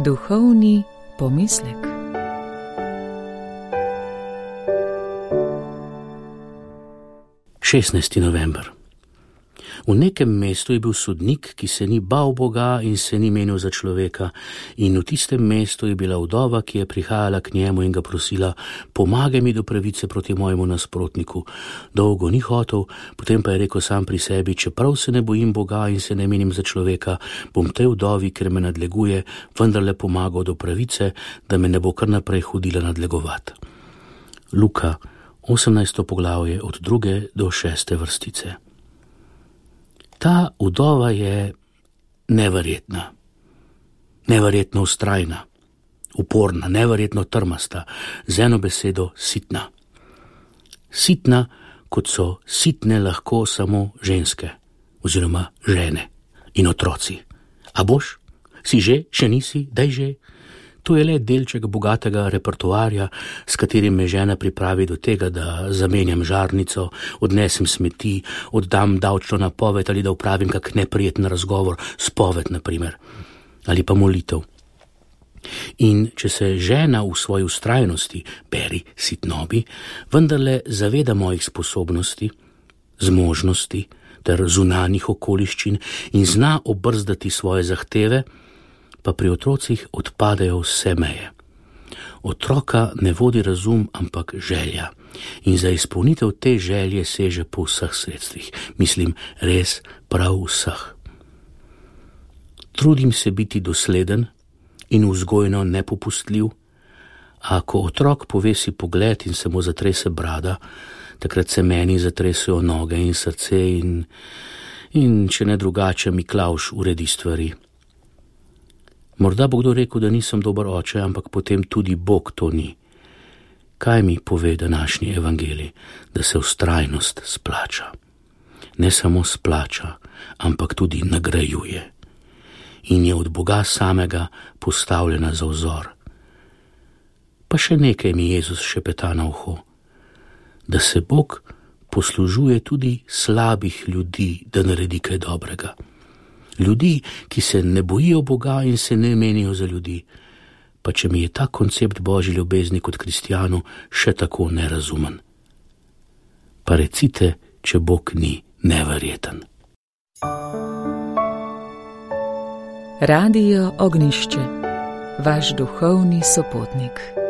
Duhovni pomislek. November. V nekem mestu je bil sodnik, ki se ni bal Boga in se ni menil za človeka, in v tistem mestu je bila vdova, ki je prihajala k njemu in ga prosila: pomagaj mi do pravice proti mojemu nasprotniku. Dolgo ni hotel, potem pa je rekel sam pri sebi: čeprav se ne bojim Boga in se ne menim za človeka, bom tej vdovi, ker me nadleguje, vendarle pomagal do pravice, da me ne bo kar naprej hodila nadlegovati. Luka, 18. poglavje od 2. do 6. vrstice. Ta vdova je neverjetna, neverjetno vztrajna, uporna, neverjetno trmasta, z eno besedo sitna. Sitna, kot so sitne lahko samo ženske, oziroma žene in otroci. A boš? Si že? Še nisi? Daj že? To je le delček bogatega repertoarja, s katerim me žena pripravi do tega, da zamenjam žarnico, odnesem smeti, oddam davčno napoved ali da upravim kak neprijeten razgovor, spoved na primer, ali pa molitev. In če se žena v svoji vztrajnosti, beri sitnobi, vendarle zaveda mojih sposobnosti, zmožnosti ter zunanjih okoliščin in zna obrzdati svoje zahteve, pa pri otrocih odpadejo vse meje. Otroka ne vodi razum, ampak želja. In za izpolnitev te želje seže po vseh sredstvih. Mislim, res prav vseh. Trudim se biti dosleden in vzgojno nepopustljiv, a ko otrok povesi pogled in se mu zatrese brada, takrat se meni zatresejo noge in srce in če ne drugače, Miklavž uredi stvari. Morda bo kdo rekel, da nisem dober oče, ampak potem tudi Bog to ni. Kaj mi pove današnji evangelij? Da se vztrajnost splača. Ne samo splača, ampak tudi nagrajuje. In je od Boga samega postavljena za vzor. Pa še nekaj mi Jezus šepeta na uho. Da se Bog poslužuje tudi slabih ljudi, da naredi kaj dobrega. Ljudi, ki se ne bojijo Boga in se ne menijo za ljudi. Pa če mi je ta koncept Božje ljubezni kot kristjanu še tako nerazumen. Pa recite, če Bog ni neverjeten. Radio Ognjišče, vaš duhovni sopotnik.